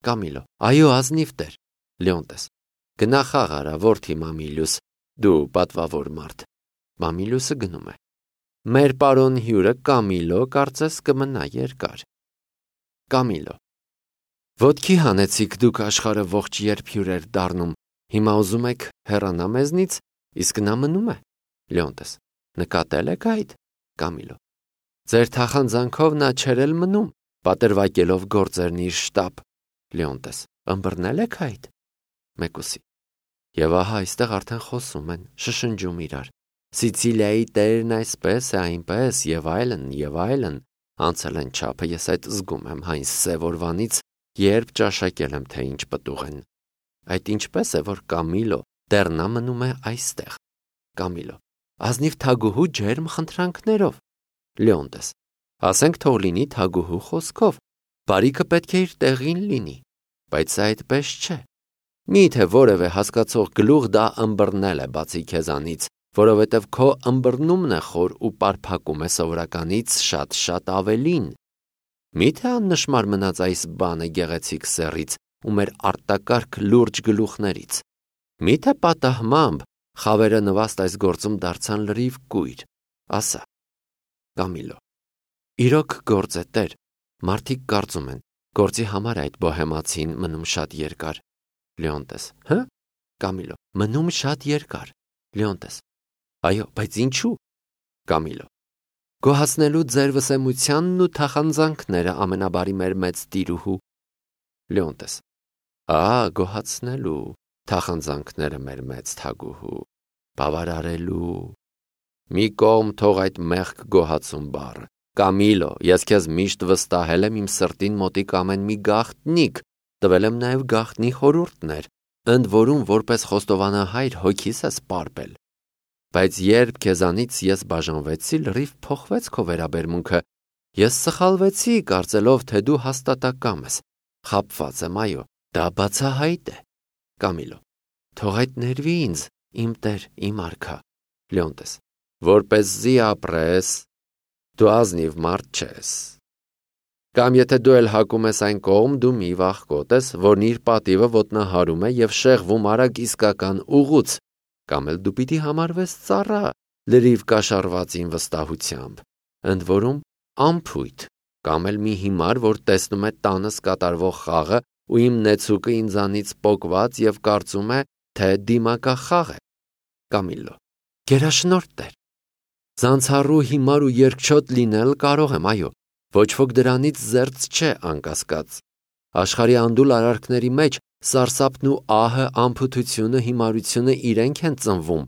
Կամիլո. Այո, ազնիվ տեր։ Լեոնտես. Գնա խաղ արա, որդի Մամիլյուս, դու պատվավոր մարդ։ Մամիլյուսը գնում է։ Մեր պարոն հյուրը Կամիլո կարծես կմնա երկար։ Կամիլո. Ոտքի հանեցիք դուք աշխարհը ողջ երբ հյուրեր դառնում, հիմա ուզում եք հեռանա մեզնից, իսկ նա մնում է։ Լեոնտես. Նկատել եք այդ։ Կամիլո. Ձեր թախանձանքով նա չէր էլ մնում, պատրվակելով գործերն իր շտապ։ Լեոնտես. Ըմբռնել եք այդ։ Մեկուսի. Եվ ահա այստեղ արդեն խոսում են, շշնջում իրար։ Սիցիլիայի տերն այսպես է, այնպես, եւ այլն, անցել են չափը, ես այդ զգում եմ հայն սևորվանից, երբ ճաշակել եմ, թե ինչ պտուղ են։ Այդ ինչպես է, որ Կամիլո դեռ նա մնում է այստեղ։ Կամիլո. ազնիվ թագուհու ջերմ խնդրանքներով։ Լեոնտես. ասենք թող լինի թագուհու խոսքով, բարիքը պետք է իր տեղին լինի, բայց սա այդպես չէ։ Միթե որևէ հասկացող գլուխ դա ըմբռնել է բացի քեզանից, որովհետև քո ըմբռնումն է խոր ու պարփակում է սովորականից շատ ավելին։ Միթե աննշմար մնաց այս բանը գեղեցիկ սեռից ու մեր արտակարգ լուրջ գլուխներից։ Միթե պատահմամբ խավերը նվաստ այս գործում դարձան լրիվ կույր, ասա։ Կամիլո. իրոք գործ է տեր, մարդիկ կարծում են, գործի համար այդ բոհեմացին մնում շատ երկար։ Լեոնտես. հը։ Կամիլո. մնում շատ երկար։ Լեոնտես. այո, բայց ինչու։ Կամիլո. գոհացնելու ձեր վսեմությանն ու թախանձանքները ամենաբարի մեր մեծ տիրուհու։ Լեոնտես. գոհացնելու թախանձանքները մեր մեծ թագուհու, բավարարելու։ Մի կողմ թող այդ մեղք գոհացում բառը։ Կամիլո, ես քեզ միշտ վստահել եմ իմ սրտին մոտիկ ամեն մի գաղտնիք, տվել եմ նաև գաղտնի խորհուրդներ, ընդ որում որպես խոստովանահայր հոգիս ես պարպել։ Բայց երբ քեզանից ես բաժանվեցի, լրիվ փոխվեց քո վերաբերմունքը։ Ես սխալվեցի, կարծելով, թե դու հաստատակամ ես։ Խաբված եմ, այո, դա բացահայտ է։ Կամիլո. թող այդ ներվի ինձ, իմ տեր, իմ արքա։ Լեոնտես. որպեսզի ապրես, դու ազնիվ մարդ չես։ Կամ եթե դու էլ հակում ես այն կողմ, դու մի վախկոտ ես, որն իր պատիվը ոտնահարում է եւ շեղվում արագ իսկական ուղուց, կամ էլ դու պիտի համարվես ծառա, լրիվ կաշառվածին վստահությամբ, ընդ որում ամփույթ, կամ էլ մի հիմար, որ տեսնում է տանս կատարվող խաղը ու իմ նեցուկը ինձանից պոկված եւ կարծում է, թե դիմակախաղ է։ Կամիլո. գերաշնորհ տեր։ Ձանցառու հիմար ու երկչոտ լինել կարող եմ, այո, ոչ ոք դրանից զերծ չէ անկասկած։ Աշխարհի անդուլ արարքների մեջ սարսափն ու ահը, անփութությունը, հիմարությունը իրենք են ծնվում։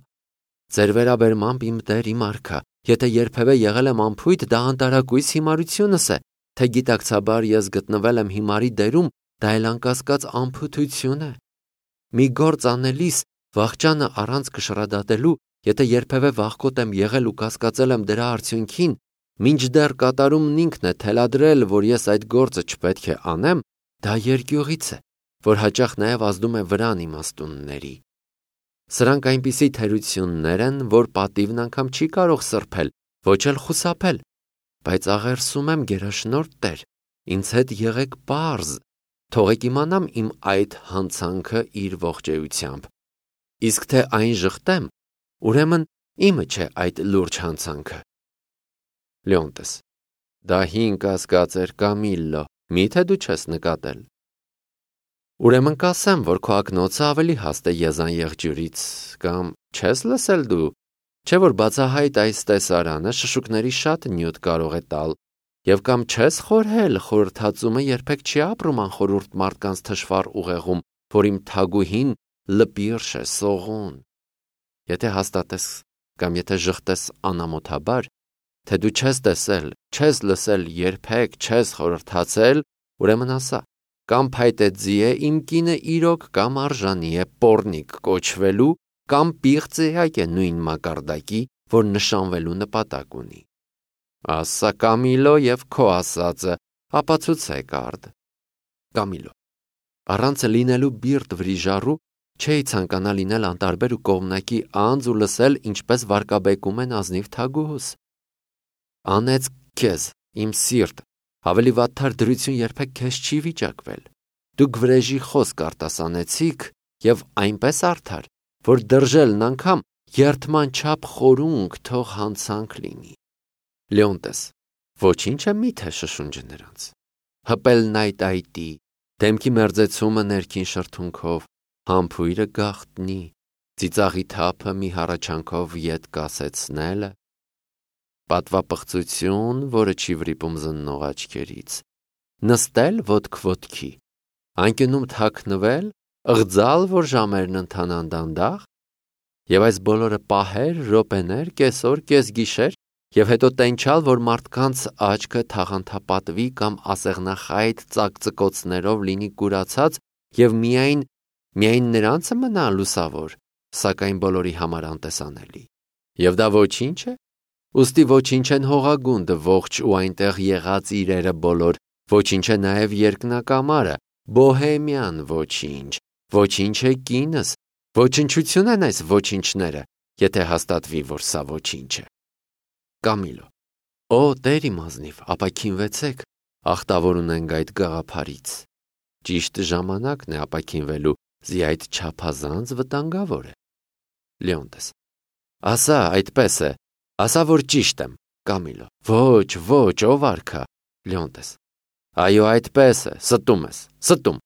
Ձեր վերաբերմամբ իմ տեր, իմ արքա, եթե երբևէ եղել եմ անփույթ, դա անտարակույս հիմարությունս է, թե գիտակցաբար ես գտնվել եմ հիմարի դերում, դա էլ անկասկած անփութություն է։ Մի գործ անելիս վախճանը առանց կշռադատելու, եթե երբևէ վախկոտ եմ եղել ու կասկածել եմ դրա արդյունքին, մինչդեռ կատարումն ինքն է թելադրել, որ ես այդ գործը չպետք է անեմ, դա երկյուղից է, որ հաճախ նաև ազդում է վրան իմաստունների։ Սրանք այնպիսի թերություններ են, որ պատիվն անգամ չի կարող սրբել, ոչ էլ խուսափել, բայց աղերսում եմ գերաշնորհ տեր, ինձ հետ եղեք պարզ, թողեք իմանամ իմ այդ հանցանքը իր ողջեյությամբ, իսկ թե այն ժխտեմ, ուրեմն իմը չէ այդ լուրջ հանցանքը։ Լեոնտես. դա հին կասկած էր, Կամիլո, միթե դու չես նկատել։ Ուրեմն կասեմ, որ քո ակնոցը ավելի հաստ է եզան եղջյուրից, կամ չես լսել դու, չէ որ բացահայտ այս տեսարանը շշուկների շատ նյութ կարող է տալ, եւ կամ չես խորհել, խորհրդածումը երբեք չի ապրում անխորհուրդ մարդկանց թշվառ ուղեղում, որ իմ թագուհին լպիրշ է սողուն։ Եթե հաստատես կամ եթե ժխտես անամոթաբար, թե դու չես տեսել, չես լսել, երբեք չես խորհրդացել, ուրեմն ասա, կամ փայտեձի է իմ կինը իրոք, կամ արժանի է պոռնիկ կոչվելու, կամ պիղծեակ է նույն մակարդակի, որ նշանվելու նպատակ ունի։ Ասա Կամիլո եւ քո ասածը, ապացուցեք արդ։ Կամիլո. առանց լինելու բիրտ վրիժառու չէի ցանկանա լինել անտարբեր ու կողմնակի անձ ու լսել, ինչպես վարկաբեկում են ազնիվ թագուհուս։ Անեց քեզ, իմ սիրտ, ավելի վատթար դրություն երբեք քեզ չի վիճակվել։ Դուք վրեժի խոսք արտասանեցիք եւ այնպես արդար, որ դրժելն անգամ երթման չափ խորունկ թող հանցանք լինի։ Լեոնտես, ոչինչ է միթե շշունջը նրանց։ Հպելն այտի, դեմքի մերձեցումը ներքին շրթունքով, համբույրը գաղտնի, ծիծաղի թափը մի հառաչանքով ետ կասեցնելը, պատվապղծություն, որը չի վրիպում զննող աչքերից, նստել ոտք ոտքի, անկյունում թաքնվել, ըղձալ, որ ժամերն ընթանան դանդաղ, եւ այս բոլորը պահեր, րոպեներ, կեսօր, կեսգիշեր, եւ հետո տենչալ, որ մարդկանց աչքը թաղանթապատվի կամ ասեղնախայտ ծակծկոցներով լինի կուրացած եւ միայն նրանցը մնա լուսավոր, սակայն բոլորի համար անտեսանելի։ Եվ դա ոչինչ է։ Ուստի ոչինչ են հողագունդը ողջ ու այնտեղ եղած իրերը բոլոր, ոչինչ է նաեւ երկնակամարը, բոհեմյան ոչինչ է կինս, ոչնչություն են այս ոչինչները, եթե հաստատվի, որ սա ոչինչ է։ Կամիլո. Օ, Տեր իմ ազնիվ, ապաքինվեցեք, ախտավոր ունենք այդ գաղափարից։ Ճիշտ ժամանակն է ապաքինվելու, զի այդ չափազանց վտանգավոր է։ Լեոնտես. Ասա, այդպես է, ասա, որ ճիշտ եմ։ Կամիլո. Ոչ, ով արքա։ Լեոնտես. Այո, այդպես է, ստում ես, ստում։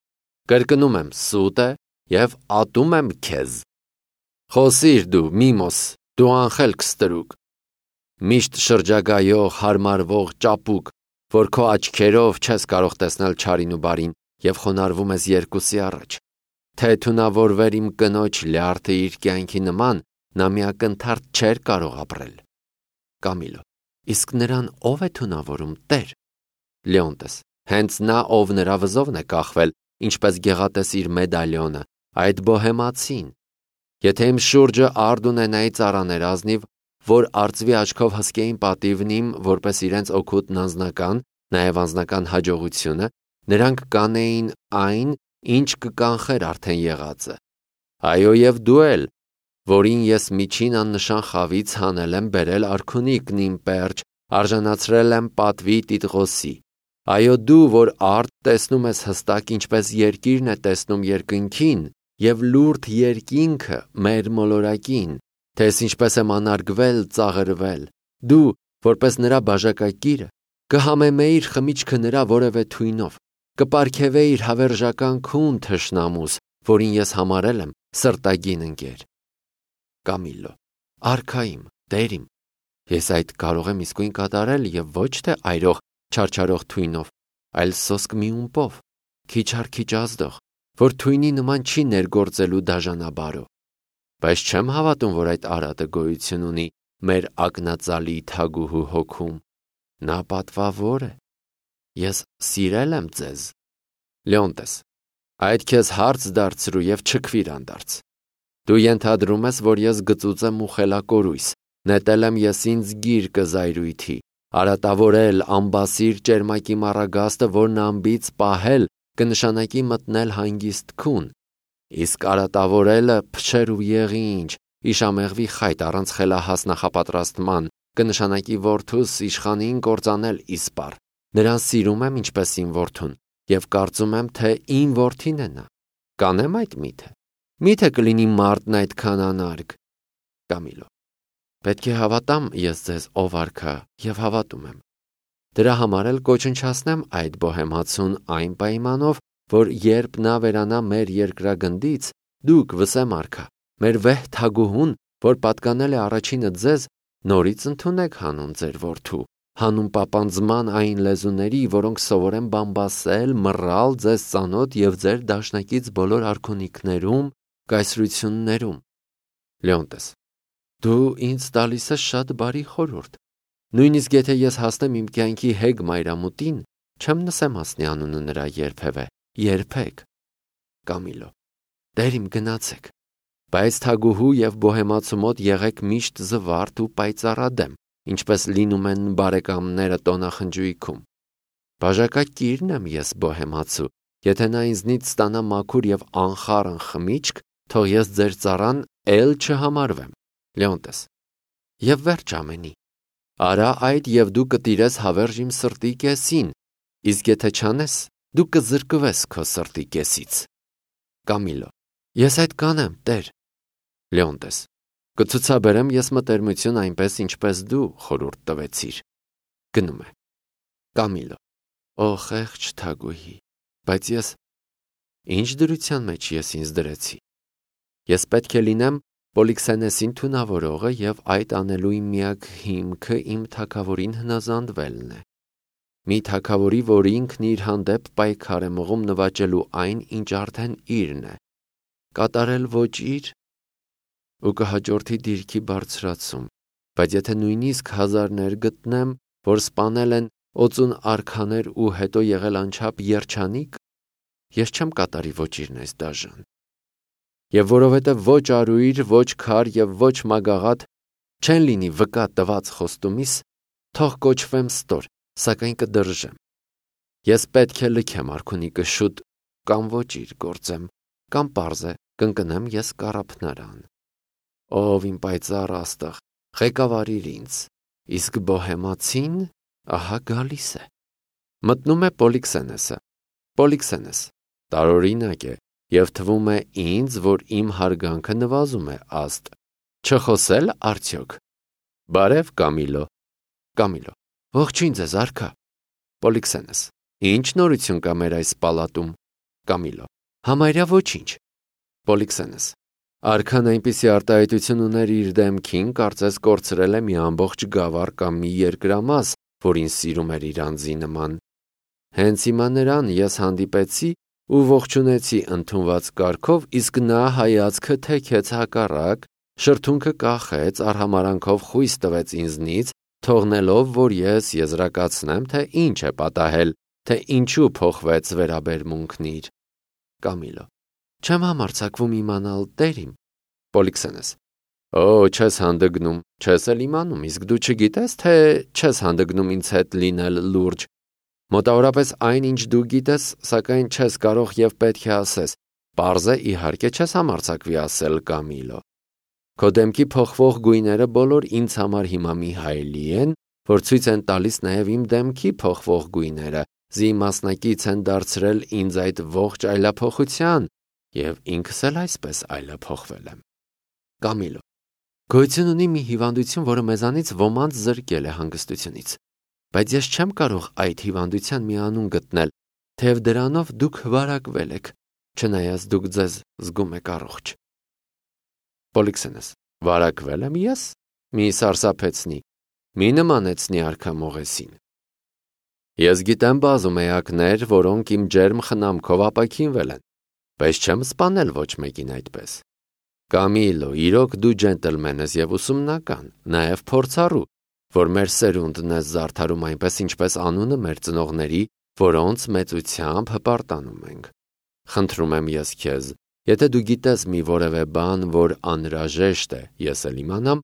Կրկնում եմ, սուտ է եւ ատում եմ քեզ։ Խոսիր դու, Միմոս, դու անխելք ստրուկ։ Միշտ շրջագայող, հարմարվող ճապուկ, որ քո աչքերով չես կարող տեսնել չարին ու բարին եւ խոնարհվում ես երկուսի առաջ։ Թե թունավորվեր իմ կնոջ լյարդը իր կյանքի նման, նա միակնթարթ չէր կարող ապրել։ Կամիլո. Իսկ նրան ով է թունավորում, Տեր։ Լեոնտես. հենց նա, ով նրա վզովն է կախվել, ինչպես գեղատես իր մեդալյոնը, այդ բոհեմացին։ Եթե իմ շուրջը արդ ունենայի ծառաներ ազնիվ, որ արծվի աչքով հսկեին պատիվն իմ, որպես իրենց օգուտն անձնական, նաև անձնական հաջողությունը, նրանք կանեին այն, ինչ կկանխեր արդեն եղածը։ Այո, եւ դու էլ, որին ես միջին աննշան խավից հանել եմ բերել արքունիկն իմ պերճ, արժանացրել եմ պատվի Տիտղոսի։ Այո, դու, որ արդ տեսնում ես հստակ, ինչպես երկիրն է տեսնում երկնքին, եւ լուրջ երկինքը մեր մոլորակին, թե ինչպես եմ անարգվել, ծաղրվել, դու, որպես նրա բաժակակիրը, կհամեմեիր խմիչքը նրա որևէ թույնով, կպարգևեիր հավերժական քուն թշնամուս, որին ես համարել եմ սրտագին ընկեր։ Կամիլո. Արքայիմ, Տեր իմ, ես այդ կարող եմ իսկույն կատարել եւ ոչ թե այրող չարչարող թույնով, այլ սոսկ մի ումպով, քիչ առ քիչ ազդող, որ թույնի նման չի ներգործելու դաժանաբարո։ Բայց չեմ հավատում, որ այդ արատը գոյություն ունի մեր ակնածալի թագուհու հոգում։ Նա պատվավոր է։ Ես սիրել եմ ձեզ։ Լեոնտես. այդ քեզ հարց դարձրու եւ չքվիր անդարձ։ Դու ենթադրում ես, որ ես գծուծ եմ ու խելակորույս, նետել եմ ես ինձ գիրկը զայրույթի, արատավորել ամբասիր ճերմակի մառագաստը, որն ամբից պահել կնշանակի մտնել հանգիստ քուն, իսկ արատավորելը փչեր ու եղինջ, իշամեղվի խայտ առանց խելահաս նախապատրաստման, կնշանակի որդուս իշխանին կործանել իսպառ, նրան սիրում եմ ինչպես իմ որդուն, եւ կարծում եմ, թե իմ որդին է նա, կանեմ այդ միթե կլինի մարդն այդքան անարգ։ Կամիլո. պետք է հավատամ ես ձեզ, ով արքա, եւ հավատում եմ։ Դրա համար էլ կոչնչացնեմ այդ բոհեմացուն այն պայմանով, որ երբ նա վերանա մեր երկրագնդից, դուք վսեմ արքա, մեր վեհ թագուհուն, որ պատկանել է առաջինը ձեզ, նորից ընդունեք հանուն ձեր որդու, հանուն պապանձման այն լեզուների, որոնք սովորեն բամբասել, մռալ ձեզ ծանոթ եւ ձեր դաշնակից բոլոր արքունիքներում, կայսրություններում։ Լեոնտես. Դու ինձ տալիս ես շատ բարի խորհուրդ։ Նույնիսկ եթե ես հասնեմ իմ կյանքի հեգ մայրամուտին, չեմ նսեմ հասնի անունը նրա երբեք։ Կամիլո. Տեր իմ գնացեք, բայց թագուհու եւ բոհեմացու մոտ եղեք միշտ զվարթ ու պայծառադեմ, ինչպես լինում են բարեկամները տոնախնջույքում։ Բաժակակիրն եմ ես բոհեմացու, եթե նա ինձնից ստանա մաքուր եւ անխառն խմիչք, թող ես ձեր ծառան էլ չհամարվեմ։ Լեոնտես. եւ վերջ ամենի։ Արա այդ եւ դու կտիրես հավերժ իմ սրտի կեսին, իսկ եթե չանես, դու կզրկվես քո սրտի կեսից։ Կամիլո. Ես այդ կանեմ, Տեր։ Լեոնտես. Կցուցաբերեմ ես մտերմություն այնպես, ինչպես դու խորհուրդ տվեցիր։ Գնում է։ Կամիլո. Օ խեղճ թագուհի, բայց ես ինչ դրության մեջ ես ինձ դրեցի։ Ես պետք է լինեմ Պոլիքսենեսին թունավորողը և այդ անելու իմ միակ հիմքը իմ թագավորին հնազանդվելն է։ Մի թագավորի, որ ինքն իր հանդեպ պայքար է մղում նվաճելու այն, ինչ արդեն իրն է, կատարել ոչ իր ու կհաջորդի դիրքի բարձրացում, բայց եթե նույնիսկ հազարներ գտնեմ, որ սպանել են օծուն արքաներ ու հետո եղել անչափ երջանիկ, ես չեմ կատարի ոչ իրն այս դաժան։ Եվ որովհետև ոչ արույր, ոչ քար և ոչ մագաղատ չեն լինի վկա տված խոստումիս, թող կոչվեմ ստոր, սակայն կդրժեմ։ Ես պետք է լքեմ արքունիկը շուտ, կամ ոչ իր գործեմ, կամ պարզ է, կընկնեմ ես կառափնարան։ Ով իմ պայծառ աստղ, ղեկավարիր ինձ, իսկ բոհեմացին ահա գալիս է։ Մտնում է Պոլիքսենեսը։ Պոլիքսենես, տարօրինակ է, և թվում է ինձ, որ իմ հարգանքը նվազում է աստ։ Չխոսել արդյոք։ Բարև, Կամիլո։ Կամիլո. Ողջույն ձեզ, արքա։ Պոլիքսենես. Ինչ նորություն կա մեր այս պալատում։ Կամիլո. Համարյա ոչինչ։ Պոլիքսենես. Արքան այնպիսի արտահայտություն ուներ իր դեմքին, կարծես կորցրել է մի ամբողջ գավառ կամ մի երկրամաս, որին սիրում էր իր անձի նման։ Հենց հիմա նրան ես հանդիպեցի ու ողջունեցի ընդունված կարգով, իսկ նա հայացքը թեքեց հակառակ, շրթունքը կախեց, արհամարանքով խույս տվեց ինձնից, թողնելով, որ ես եզրակացնեմ, թե ինչ է պատահել, թե ինչու փոխվեց վերաբերմունքն իր։ Կամիլո. Չեմ համարձակվում իմանալ, Տեր իմ։ Պոլիքսենես. Օ, չես հանդգնում, չես էլ իմանում, իսկ դու չգիտես, թե չես հանդգնում ինձ հետ լինել լուրջ։ Մոտավորապես այն, ինչ դու գիտես, սակայն չես կարող և պետք է ասես, պարզ է, իհարկե չես համարձակվի ասել, Կամիլո։ Քո դեմքի փոխվող գույները բոլոր ինձ համար հիմա մի հայելի են, որ ցույց են տալիս նաև իմ դեմքի փոխվող գույները, զի մասնակից են դարձրել ինձ այդ ողջ այլափոխության, և ինքս էլ այսպես այլափոխվել եմ։ Կամիլո. Գոյություն ունի մի հիվանդություն, որը մեզանից ոմանց զրկել է հանգստությունից, բայց ես չեմ կարող այդ հիվանդության մի անուն գտնել, թեև դրանով դուք վարակվել եք, չնայած դուք ձեզ զգում եք առողջ։ Պոլիքսենես. Վարակվել եմ ես։ Մի սարսափեցնի, մի նմանեցնի արքա Մողեսին։ Ես գիտեմ բազում էակներ, որոնք իմ ջերմ խնամքով ապաքինվել են, բայց չեմ սպանել ոչ մեկին այդպես։ Կամիլո, իրոք դու ջենտլմեն ես և ուսումնական, նաև փորձառու, որ մեր սերունդն ես զարդարում այնպես, ինչպես անունը մեր ծնողների, որոնց մեծությամբ հպարտանում ենք։ Խնդրում եմ ես քեզ, եթե դու գիտես մի որևէ բան, որ անհրաժեշտ է, ես էլ իմանամ,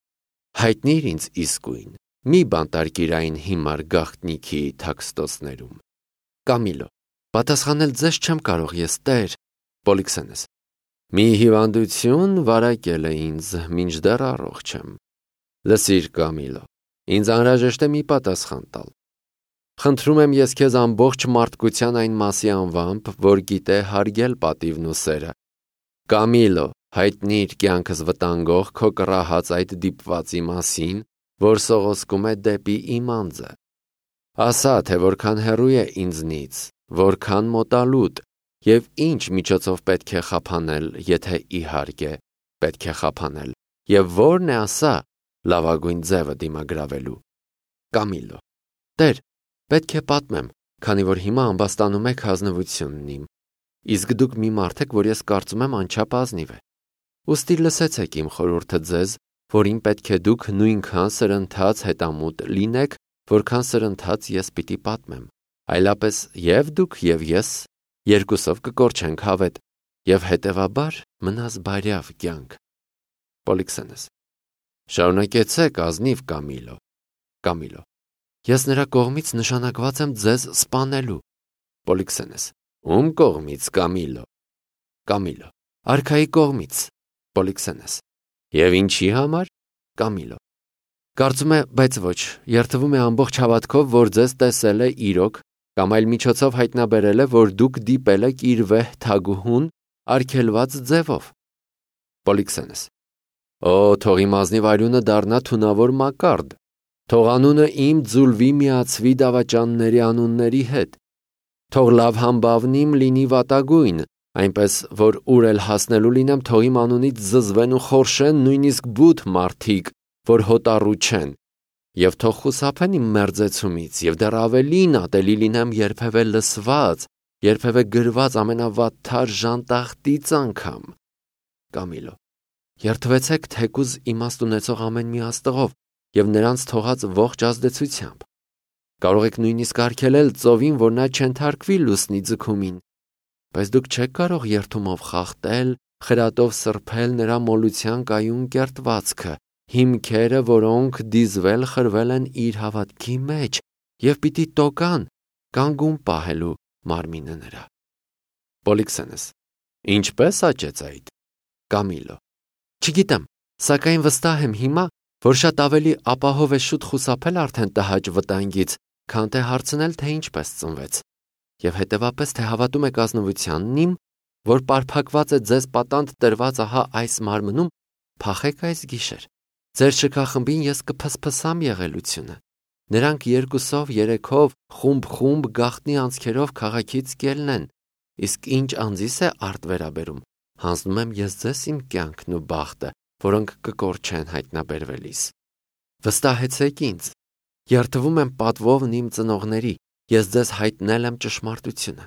հայտնիր ինձ իսկույն, մի բանտարկիր այն հիմար գաղտնիքի թաքստոցներում։ Կամիլո. Պատասխանել ձեզ չեմ կարող ես, Տեր։ Պոլիքսենես. Մի հիվանդություն վարակել է ինձ, մինչդեռ առողջ եմ։ Լսիր, Կամիլո, ինձ անհրաժեշտ է մի պատասխան տալ։ Խնդրում եմ ես քեզ ամբողջ մարդկության այն մասի անվամբ, որ գիտե հարգել պատիվն ու սերը։ Կամիլո, հայտնիր կյանքս վտանգող քո կռահած այդ դիպվածի մասին, որ սողոսկում է դեպի իմ անձը։ Ասա, թե որքան հեռու է ինձնից, որքան մոտալուտ, և ինչ միջոցով պետք է խափանել, եթե իհարկե պետք է խափանել, և որն է ասա լավագույն ձևը դիմագրավելու։ Կամիլո. Տեր, պետք է պատմեմ, քանի որ հիմա ամբաստանում եք հանձնվությունն իմ, իսկ դուք մի մարդ եք, որ ես կարծում եմ անչափ ազնիվ է։ Ուստի լսեցեք իմ խորհուրդը ձեզ, որին պետք է դուք նույնքան սրընթաց հետամուտ լինեք, որքան սրընթաց ես պիտի պատմեմ, այլապես և դուք և ես երկուսով կկորչենք հավետ, և հետևաբար մնաս բարյավ կյանք։ Պոլիքսենես. Շարունակեցեք, ազնիվ Կամիլո։ Կամիլո. Ես նրա կողմից նշանակված եմ ձեզ սպանելու։ Պոլիքսենես. Ում կողմից, Կամիլո։ Կամիլո. Արքայի կողմից։ Պոլիքսենես. Եվ ինչի համար։ Կամիլո. Կարծում է, բայց ոչ, երդվում է ամբողջ հավատքով, որ ձեզ տեսել է իրոք կամ այլ միջոցով հայտնաբերել է, որ դուք դիպել եք իր վեհ թագուհուն արգելված ձևով։ Պոլիքսենես. Օ, թող իմ ազնիվ արյունը դառնա թունավոր մակարդ, թող անունը իմ ձուլվի միացվի դավաճանների անունների հետ, թող լավ համբավն իմ լինի վատագույն, այնպես որ ուր էլ հասնելու լինեմ, թող իմ անունից զզվեն ու խորշեն նույնիսկ բութ մարդիկ, որ հոտառու չեն, եւ թող խուսափեն իմ մերձեցումից, եւ դեռ ավելին ատելի լինեմ երբևէ լսված, երբևէ գրված ամենավատթար ժանտախտից անգամ։ Կամիլո. Երդվեցեք թեկուզ իմաստ ունեցող ամեն մի աստղով եւ նրանց թողած ողջ ազդեցությամբ։ Կարող եք նույնիսկ արգելել ծովին, որ նա չընթարկվի լուսնի ձգումին, բայց դուք չեք կարող երդումով խախտել, խրատով սրբել նրա մոլության կայուն կերտվածքը, հիմքերը, որոնք դիզվել խրվել են իր հավատքի մեջ եւ պիտի տոկան, կանգուն պահելու մարմինը նրա։ Պոլիքսենես. Ինչպես աճեց այդ։ Կամիլո. Չգիտեմ, սակայն վստահ եմ հիմա, որ շատ ավելի ապահով է շուտ խուսափել արդեն տհաճ վտանգից, քան թե հարցնել, թե ինչպես ծնվեց, եւ հետեւապես թե հավատում եք ազնվությանն իմ, որ պարփակված է ձեզ պատանդ տրված ահա այս մարմնում, փախեք այս գիշեր։ Ձեր շքախմբին ես կփսփսամ եղելությունը։ Նրանք երկուսով, երեքով, խումբ գաղտնի անցքերով քաղաքից կելնեն, իսկ ինչ անձիս է արդ վերաբերում, հանձնում եմ ես ձեզ իմ կյանքն ու բախտը, որոնք կկորչեն հայտնաբերվելիս։ Վստահեցեք ինձ, երդվում եմ պատվովն իմ ծնողների, ես ձեզ հայտնել եմ ճշմարտությունը։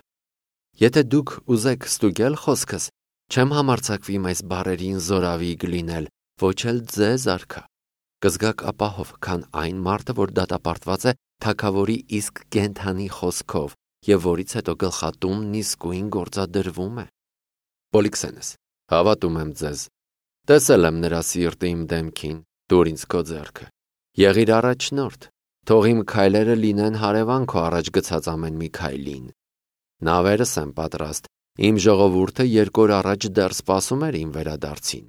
Եթե դուք ուզեք ստուգել խոսքս, չեմ համարձակվի իմ այս բառերին զորավի գլինել, ոչ էլ ձեզ արքա։ Կզգաք ապահով, քան այն մարդը, որ դատապարտված է թագավորի իսկ կենթանի խոսքով, եւ որից հետո գլխատումն իսկույն գործադրվում է։ Պոլիքսենես. Հավատում եմ ձեզ։ Տեսել եմ նրա սիրտը իմ դեմքին, դուր ինձ քո ձեռքը։ Եղիր առաջնորդ, թող իմ քայլերը լինեն հարևան քո առաջ գցած ամեն մի քայլին։ Նավերս եմ պատրաստ, իմ ժողովուրդը 2 օր առաջ դեռ սպասում էր իմ վերադարձին։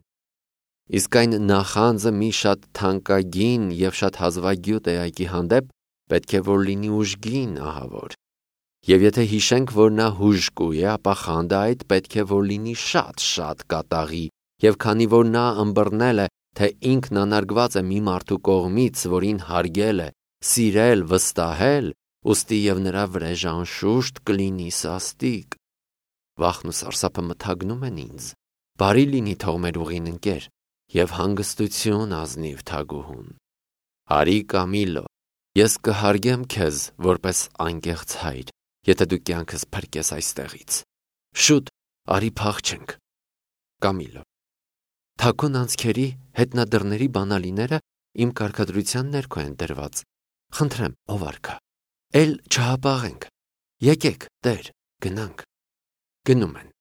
Իսկ այն նախանձը մի շատ թանկագին եւ շատ հազվագյուտ էակի հանդեպ պետք է որ լինի ուժգին, ահավոր։ Եվ եթե հիշենք, որ նա հուժկու է, ապա խանդը այդ պետք է որ լինի շատ կատաղի, եւ քանի որ նա ըմբռնել է, թե ինքն անարգված է մի մարդու կողմից, որին հարգել է, սիրել, վստահել, ուստի եւ նրա վրեժ անշուշտ կլինի սաստիկ։ Վախն ու սարսափը մթագնում են ինձ։ Բարի լինի թող մեր ուղին ընկեր եւ հանգստություն ազնիվ թագուհուն։ Արի Կամիլո, ես կհարգեմ քեզ որպես անկեղծ հայր, եթե դու կյանքս փրկես այստեղից։ Շուտ արի փախչենք։ Կամիլո. Թակուն անցքերի հետնադրների բանալիները իմ կարգադրության ներքո են դրված։ Խնդրեմ, ով արքա, էլ չհապաղենք։ Եկեք, Տեր, գնանք։ Գնում են։